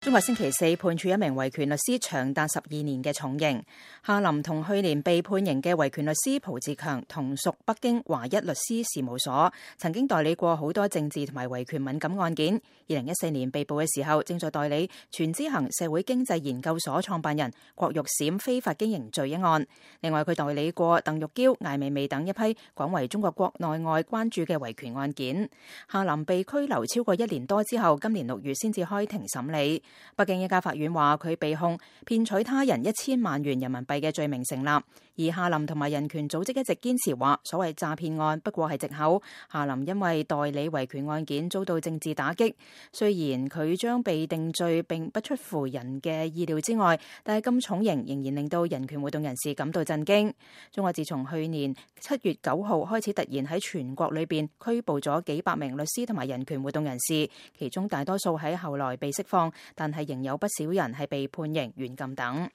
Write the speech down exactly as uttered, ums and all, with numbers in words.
中國星期四判處一名維權律師長達十二年嘅重刑。夏林同去年被判刑嘅維權律師蒲志強同屬北京華一律師事務所，曾經代理過好多政治同埋維權敏感案件。二零一四年被捕嘅時候，正在代理全知行社會經濟研究所創辦人郭玉閃非法經營罪一案。另外，佢代理過鄧玉嬌、艾未未等一批廣為中國國內外關注嘅維權案件。夏林被拘留超過一年多之後，今年六月先至開庭審理。北京一家法院話佢被控騙取他人一千萬元人民幣嘅罪名成立，而夏林同埋人權組織一直堅持話所謂詐騙案不過係藉口。夏林因為代理維權案件遭到政治打擊，雖然佢將被定罪並不出乎人嘅意料之外，但係咁重刑仍然令到人權活動人士感到震驚。中國自從去年七月九號開始突然喺全國裏邊拘捕咗幾百名律師同埋人權活動人士，其中大多數喺後來被釋放，但係仍有不少人係被判刑、軟禁等。